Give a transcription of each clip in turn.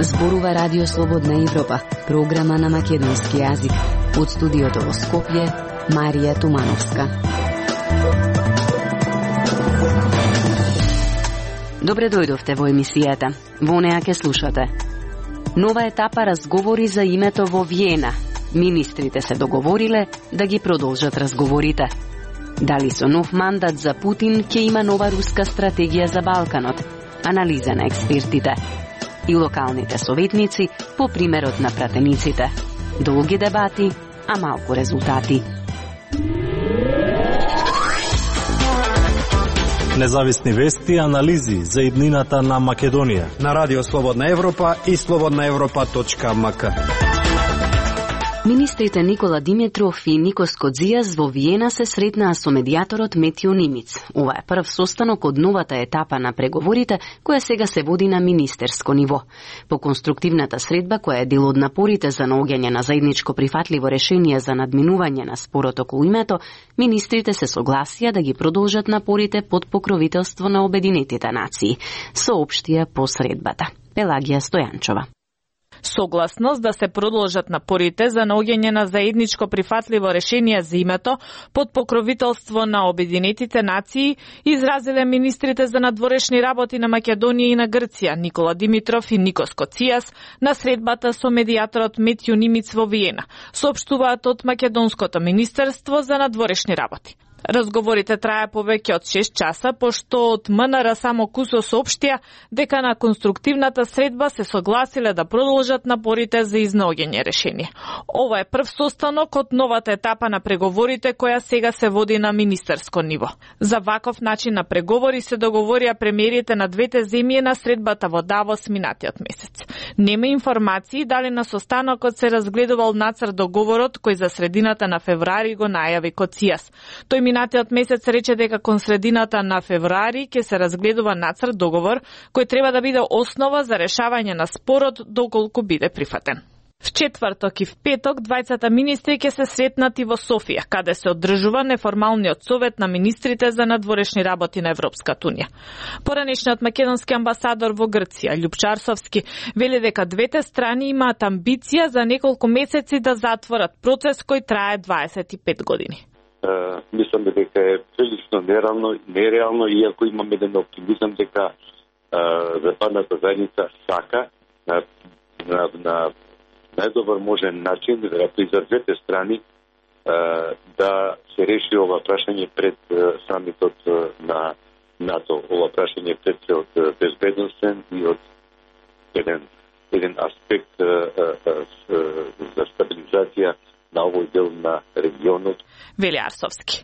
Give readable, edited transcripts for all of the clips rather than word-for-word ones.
Зборува Радио Слободна Европа, програма на македонски јазик. Од студиото во Скопје, Марија Тумановска. Добре дојдовте во емисијата. Во неа ке слушате. Нова етапа разговори за името во Виена. Министрите се договориле да ги продолжат разговорите. Дали со нов мандат за Путин ќе има нова руска стратегија за Балканот? Анализа на експертите. И локалните советници по примерот на пратениците. Долги дебати, а малку резултати. Независни вести и анализи за иднината на Македонија на Радио Слободна Европа и slobodnaevropa.mk. Министрите Никола Димитров и Никос Кодзијас во Виена се сретнаа со медијаторот Метјо Нимиц. Ова е прв состанок од новата етапа на преговорите, која сега се води на министерско ниво. По конструктивната средба, која е дел од напорите за наоѓање на заедничко прифатливо решение за надминување на спорот околу името, министрите се согласија да ги продолжат напорите под покровителство на Обединетите нации, соопштија по средбата. Пелагија Стојанчова. Согласност да се продолжат напорите за наоѓање на заедничко прифатливо решение за името под покровителство на Обединетите нации изразиле министрите за надворешни работи на Македонија и на Грција Никола Димитров и Никос Кодзијас на средбата со медијаторот Метјо Нимиц во Виена, соопштуваат од Македонското министерство за надворешни работи. Разговорите трае повеќе од 6 часа, пошто од МНР само кусо соопштија дека на конструктивната средба се согласиле да продолжат напорите за изнаоѓање решение. Ова е прв состанок од новата етапа на преговорите која сега се води на министерско ниво. За ваков начин на преговори се договорија премиерите на двете земји на средбата во Давос минатиот месец. Нема информации дали на состанокот се разгледувал нацрт договорот кој за средината на февруари го најави Кодзијас. Тој минатиот месец рече дека кон средината на февруари ќе се разгледува нацрт договор кој треба да биде основа за решавање на спорот доколку биде прифатен. В четврток и в петок двајцата министри ќе се сретнат и во Софија, каде се одржува неформалниот совет на министрите за надворешни работи на Европската унија. Поранешниот македонски амбасадор во Грција, Љупчар Совски, вели дека двете страни имаат амбиција за неколку месеци да затворат процес кој трае 25 години. Мислам дека е прилично нереално, иако имам еден оптимизам дека западната заедница сака на најдобар можен начин, веројатно и за двете страни, да се реши ова прашање пред самитот на НАТО, ова прашање пред се од безбедностен и од еден аспект за стабилизација на овој дел на регионот. Вели Арсовски.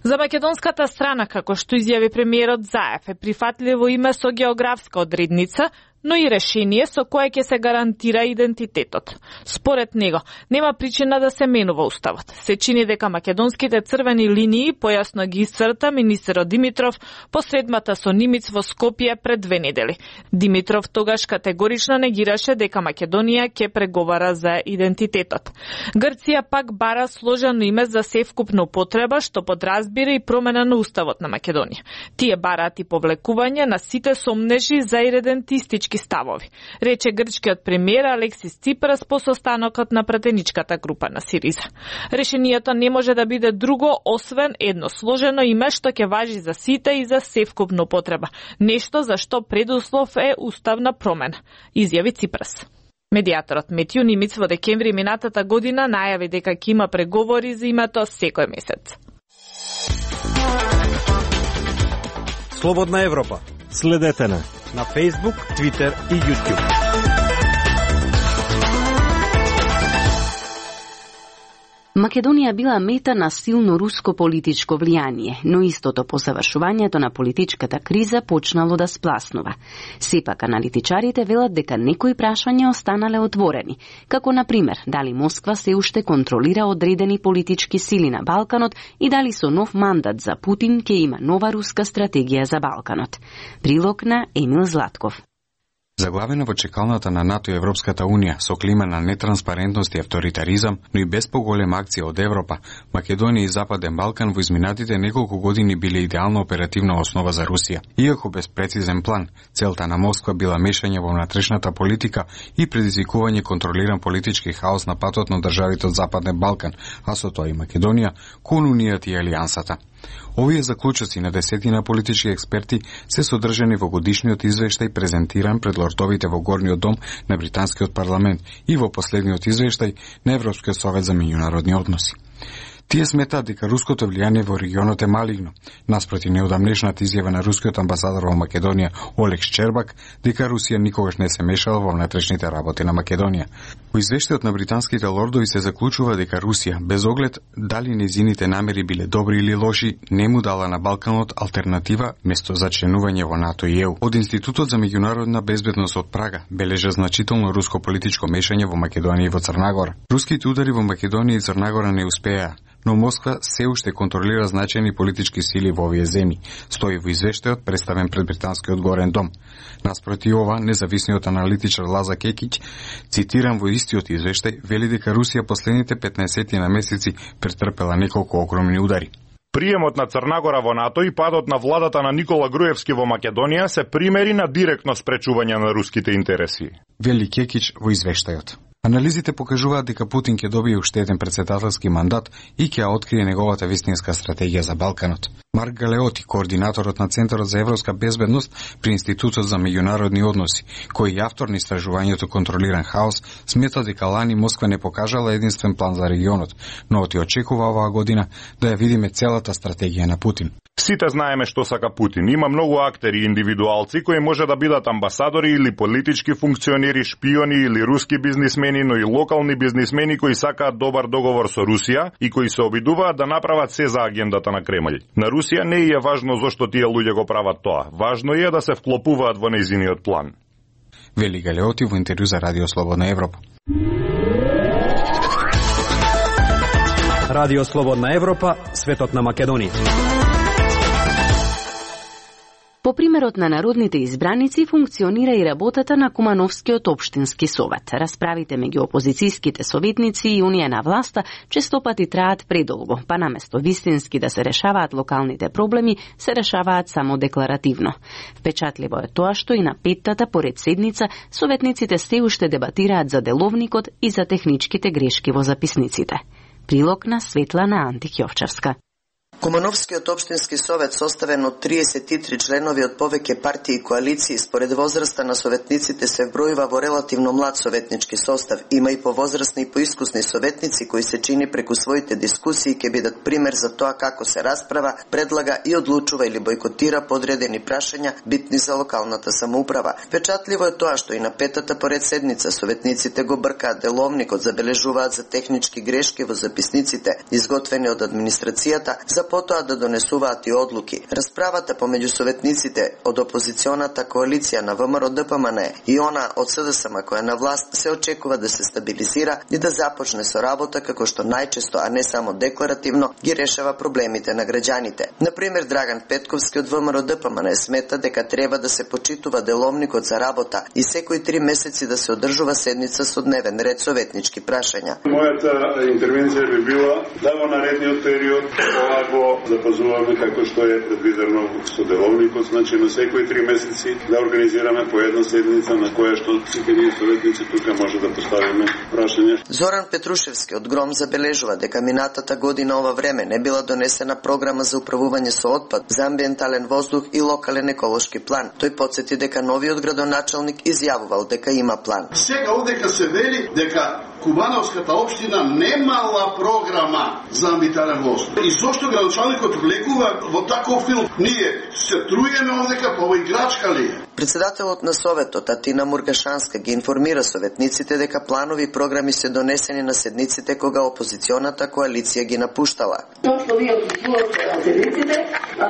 За македонската страна, како што изјави премиерот Заев, е прифатливо име со географска одредница, но и решение со кое ќе се гарантира идентитетот. Според него, нема причина да се менува уставот. Се чини дека македонските црвени линии појасно ги исцрта министерот Димитров по средбата со Нимиц во Скопје пред 2 недели. Димитров тогаш категорично негираше дека Македонија ќе преговара за идентитетот. Грција пак бара сложено име за севкупна употреба, што подразбира и промена на уставот на Македонија. Тие бараат и повлекување на сите сомнежи за иредентистички ставови, рече грчкиот премиер Алексис Ципрас по состанокот на пратеничката група на Сириза. Решението не може да биде друго освен едно сложено име што ќе важи за сите и за севкупна употреба, нешто за што предуслов е уставна промена, изјави Ципрас. Медијаторот Метјо Нимиц во декември минатата година најави дека ќе има преговори за името секој месец. Слободна Европа. Следете на Facebook, Twitter и YouTube. Македонија била мета на силно руско политичко влијание, но истото по завршувањето на политичката криза почнало да спласнува. Сепак аналитичарите велат дека некои прашања останале отворени, како на пример дали Москва се уште контролира одредени политички сили на Балканот и дали со нов мандат за Путин ќе има нова руска стратегија за Балканот. Прилог на Емил Златков. Заглавена во чекалната на НАТО и Европската Унија со клима на нетранспарентност и авторитаризам, но и без поголема акција од Европа, Македонија и Западен Балкан во изминатите неколку години биле идеална оперативна основа за Русија. Иако без прецизен план, целта на Москва била мешање во внатрешната политика и предизвикување контролиран политички хаос на патот на државите од Западен Балкан, а со тоа и Македонија, кон Унијата и Алијансата. Овие заклучоци на десетина политички експерти се содржани во годишниот извештај презентиран пред лордовите во Горниот дом на британскиот парламент и во последниот извештај на Европскиот совет за меѓународни односи. Тие сметаат дека руското влијание во регионот е малигно, наспроти неодамнешната изјава на рускиот амбасадор во Македонија Олег Шчербак дека Русија никогаш не се мешала во внатрешните работи на Македонија. Во извештајот на британските лордови се заклучува дека Русија, без оглед дали нејзините намери биле добри или лоши, не му дала на Балканот алтернатива место за членување во НАТО и ЕУ. Од Институтот за меѓународна безбедност од Прага бележа значително руско политичко мешање во Македонија и во Црнагора. Руските удари во Македонија и Црнагора не успеа, но Москва се уште контролира значајни политички сили во овие земји, стои во извештајот представен пред британскиот Горен дом. Наспроти ова, независниот аналитичар Лаза Кекиќ, цитиран во истиот извештај, вели дека Русија последните 15 на месеци претрпела неколку огромни удари. Приемот на Црнагора во НАТО и падот на владата на Никола Груевски во Македонија се примери на директно спречување на руските интереси. Вели Кекиќ во извештајот. Анализите покажуваат дека Путин ќе добие уште еден претседателски мандат и ќе открие неговата вистинска стратегија за Балканот. Марк Галеоти, координаторот на Центарот за европска безбедност при Институтот за меѓународни односи, кој е автор на истражувањето Контролиран хаос, смета дека лани Москва не покажала единствен план за регионот, но ти очекува оваа година да ја видиме целата стратегија на Путин. Сите знаеме што сака Путин. Има многу актери и индивидуалци кои може да бидат амбасадори или политички функционери, шпиони или руски бизнисмени, но и локални бизнисмени кои сакаат добар договор со Русија и кои се обидуваат да направат се за агендата на Кремљ. На Русија не е важно зошто тие луѓе го прават тоа. Важно е да се вклопуваат во нејзиниот план. Вели Галеоти во интервју за Радио Слободна Европа. Радио Слободна Европа, светот на Македонија. По примерот на народните избраници функционира и работата на Кумановскиот општински совет. Расправите меѓу опозицијските советници и Унија на власта честопати траат предолго, па наместо вистински да се решаваат локалните проблеми, се решаваат само декларативно. Впечатливо е тоа што и на петтата поред седница советниците се уште дебатираат за деловникот и за техничките грешки во записниците. Прилог на Светлана Антик-Јовчевска. Кумановскиот општински совет, составен од 33 членови од повеќе партии и коалиции, според возраста на советниците се вбројува во релативно млад советнички состав. Има и повозрастни и поискусни советници кои се чини преку своите дискусии ќе бидат пример за тоа како се расправа, предлага и одлучува или бойкотира подредени прашања битни за локалната самоуправа. Впечатливо е тоа што и на петата поред седница советниците го бркаат деловникот, забележуваат за технички грешки во записниците, изготвени од администрацијата, за потоа да донесуваат и одлуки. Расправата помеѓу советниците од опозиционата коалиција на ВМРО-ДПМН и она од СДСМ која на власт се очекува да се стабилизира и да започне со работа како што најчесто, а не само декларативно, ги решава проблемите на граѓаните. Например, Драган Петковски од ВМРО-ДПМН смета дека треба да се почитува деловникот за работа и секои 3 месеци да се одржува седница со дневен ред советнички прашања. Мојата интервенција би била да во наредниот период го запазуваме како што е предвидено со деловникот, значи на секои 3 месеци да организираме по една седница на која што сите ние советници тука може да поставиме прашања. Зоран Петрушевски од Гром забележува дека минатата година ова време не била донесена програма за управување со отпад, за амбиентален воздух и локален еколошки план. Тој потсети дека новиот градоначалник изјавувал дека има план. Сега одека се вели дека Кумановската општина немала програма за амбиентален воздух. И зошто градоначалникот влегува во таков филм? Ние се труеме овдека, па ова играчка ли е? Председателот на советот Атина Мургашанска ги информира советниците дека планови и програми се донесени на седниците кога опозиционата коалиција ги напуштала. Што вие отсутствувате на седниците,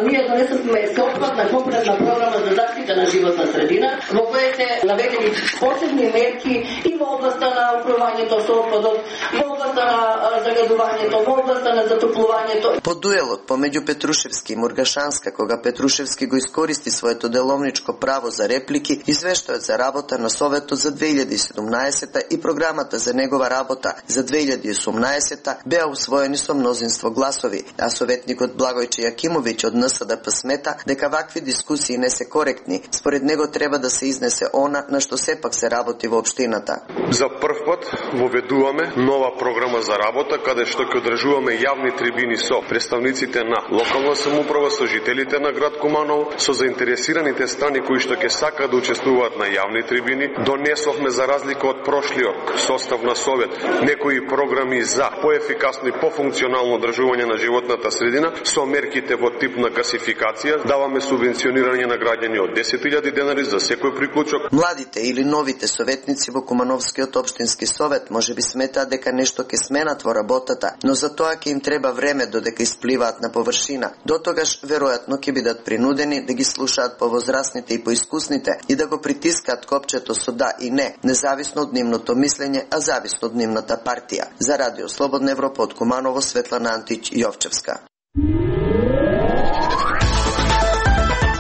ние донесовме сеопфатна компретна програма за заштита на животна средина, во која се наведени посебни мерки и во областа на управувањето справувањето со отпадот, во областа на загадувањето, во областа на затоплувањето. По дуелот помеѓу Петрушевски и Мургашанска, кога Петрушевски го искористи своето деловничко право за реплики, извештајот за работа на Советот за 2017 и програмата за негова работа за 2018 беа усвоени со мнозинство гласови, а советникот Благојче Јакимовиќ од НСДП смета дека вакви дискусии не се коректни. Според него треба да се изнесе она на што сепак се работи во општината. За прв пат воведуваме нова програма за работа каде што ќе одржуваме јавни трибини со представниците на локална самоуправа, со жителите на град Куманово, со заинтересираните страни кои што ќе сакаат да учествуваат на јавни трибини. Донесовме за разлика од прошлиот состав на Совет некои програми за поефикасно и пофункционално одржување на животната средина со мерките во тип на гасификација. Даваме субвенционирање на граѓани од 10.000 денари за секој приклучок. Младите или новите советници во Кумановскиот општински совет можеби сметаат дека нешто ќе сменат во работата, но за тоа ќе им треба време додека испливаат на површина. Дотогаш веројатно ќе бидат принудени да ги слушаат повозрасните и поискусните и да го притискаат копчето со да и не, независно од нивното мислење, а зависно од нивната партија. За Радио Слободна Европа од Куманово, Светлана Антич Јовчевска.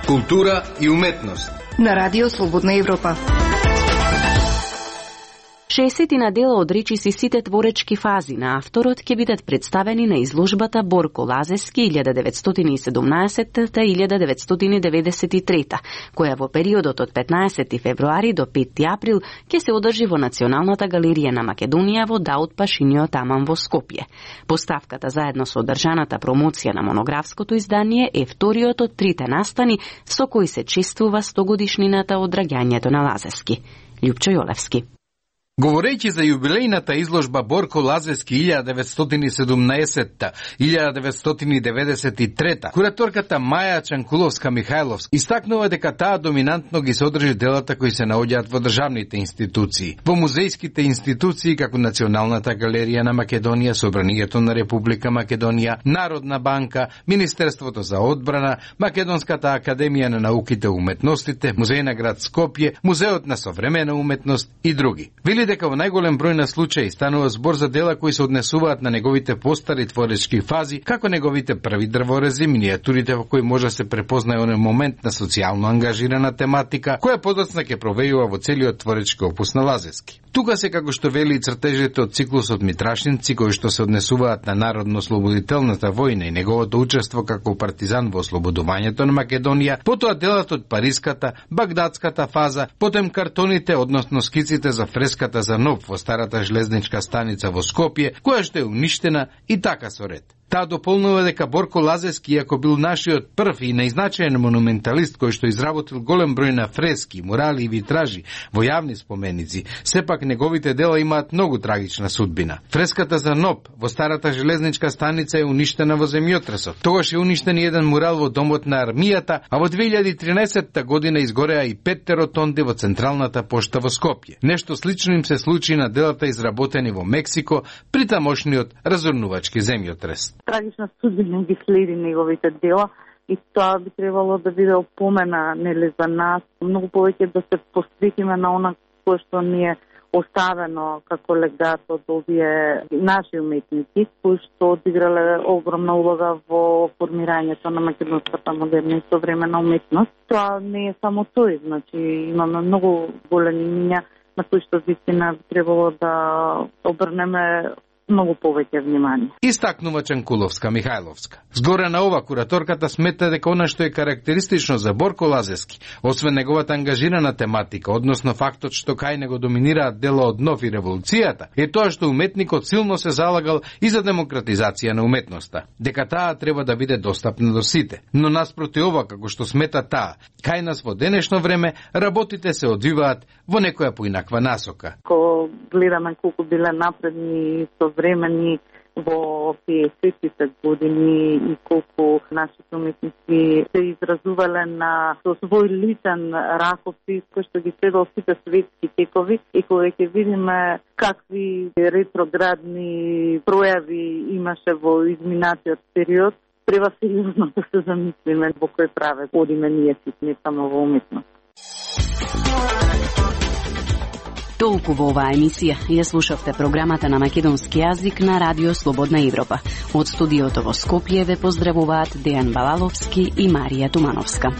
Култура и уметност на Радио Слободна Европа. 60 дела од речиси сите творечки фази на авторот ќе бидат представени на изложбата Борко Лазески 1917-1993, која во периодот од 15 февруари до 5 април ќе се одржи во Националната галерија на Македонија во Даут Пашиниот таман во Скопје. Поставката заедно со одржаната промоција на монографското издание е вториот од трите настани со кои се чествува 100-годишнината од раѓањето на Лазески. Љупчо Јолевски. Говорејќи за јубилејната изложба Борко Лазески 1917-1993, кураторката Маја Чанкуловска-Михајловска истакнува дека таа доминантно ги содржи делата кои се наоѓаат во државните институции, во музејските институции како Националната галерија на Македонија, Собранието на Република Македонија, Народна банка, Министерството за одбрана, Македонската академија на науките и уметностите, Музеј на град Скопје, Музеот на современа уметност и други. Дека во најголем број на случаи станува збор за дела кои се однесуваат на неговите постари творечки фази, како неговите први дрворези, минијатурите во кои може да се препознае оној момент на социјално ангажирана тематика, која подоцна ќе провејува во целиот творечки опус на Лазески. Тука се, како што вели и цртежите од циклусот Митрашинци, кои што се однесуваат на народно-ослободителната војна и неговото учество како партизан во ослободувањето на Македонија, потоа делат од Париската, Багдадската фаза, потем картоните, односно скиците за фреската за НОП во старата железничка станица во Скопје, која што е уништена и така со ред. Таа дополнува дека Борко Лазески, иако бил нашиот прв и најзначаен монументалист кој што изработил голем број на фрески, мурали и витражи во јавни споменици, сепак неговите дела имаат многу трагична судбина. Фреската за НОП во старата железничка станица е уништена во земјотресот. Тогаш е уништен еден мурал во домот на армијата, а во 2013 година изгореа и 5 ротонди во Централната пошта во Скопје. Нешто слично им се случи на делата изработени во Мексико при тамошниот разорнувачки земјотрес. Трагична судбина ги следи неговите дела и тоа би требало да биде опомена за нас. Многу повеќе да се посветиме на она кое што ни е оставено како легат од овие наши уметници, кои што одиграле огромна улога во формирањето на македонската модерна и современа уметност. Тоа не е само тој, значи имаме многу големи имиња на кои што вистина би требало да обрнеме многу повеќе внимание. Истакнува Чанкуловска-Михајловска. Згоре на ова, кураторката смета дека она што е карактеристично за Борко Лазески, освен неговата ангажирана тематика, односно фактот што кај него доминираат дела од НОВ и револуцијата, е тоа што уметникот силно се залагал и за демократизација на уметноста, дека таа треба да биде достапна до сите. Но наспроти ова, како што смета таа, кај нас во денешно време работите се одвиваат во некоја поинаква насока. Ко гледаме колку биле напредни современи во 50-тите години и колку нашите уметници се изразувале на со свој личен ракопис кој што ги следал сите светски текови и кога ќе видиме какви ретроградни пројави имаше во изминатиот период, треба сериозно да се замислиме во кој правец одиме ние сите, не само во уметност. Толку во оваа емисија. Ја слушавте програмата на македонски јазик на Радио Слободна Европа. Од студиото во Скопје ве поздравуваат Дејан Балаловски и Марија Тумановска.